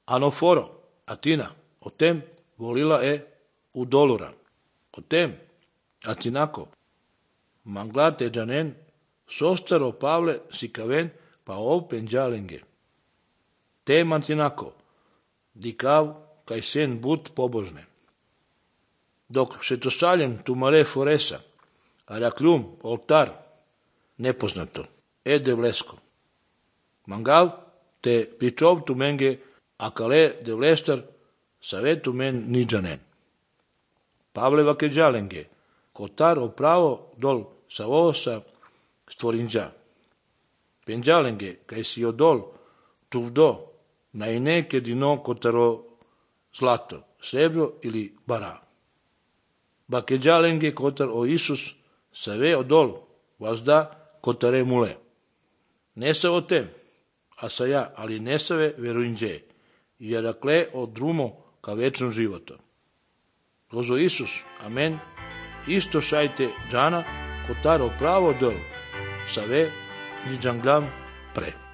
anoforo, atina, otem volila u dolura, otem, atinako, manglate janen, sostaro Pavle sikaven pa penjalenge. Te mantinako, dikav kaj sen but pobožne. Dok se to saljem tu mare foresa, arakljum, oltar, nepoznato, de vlesko. Mangav te pričov tu menge akale de vlestar savetu men niđanen. Pavle vakeđalenge, kotar opravo dol sa vosa stvorinđa. Penđalenge, kaj si odol čuvdo, na ineke dino kotaro zlato, srebro ili bara. Bakeđalenge kotar o Isus save odol, vazda kotare mule. Nesa o tem, a sa ja, ali nesave veruinđe, jer akle o drumo ka večnom životu. Lozo Isus, amen, isto šajte džana, kotaro pravo dol, save niđanglam pre.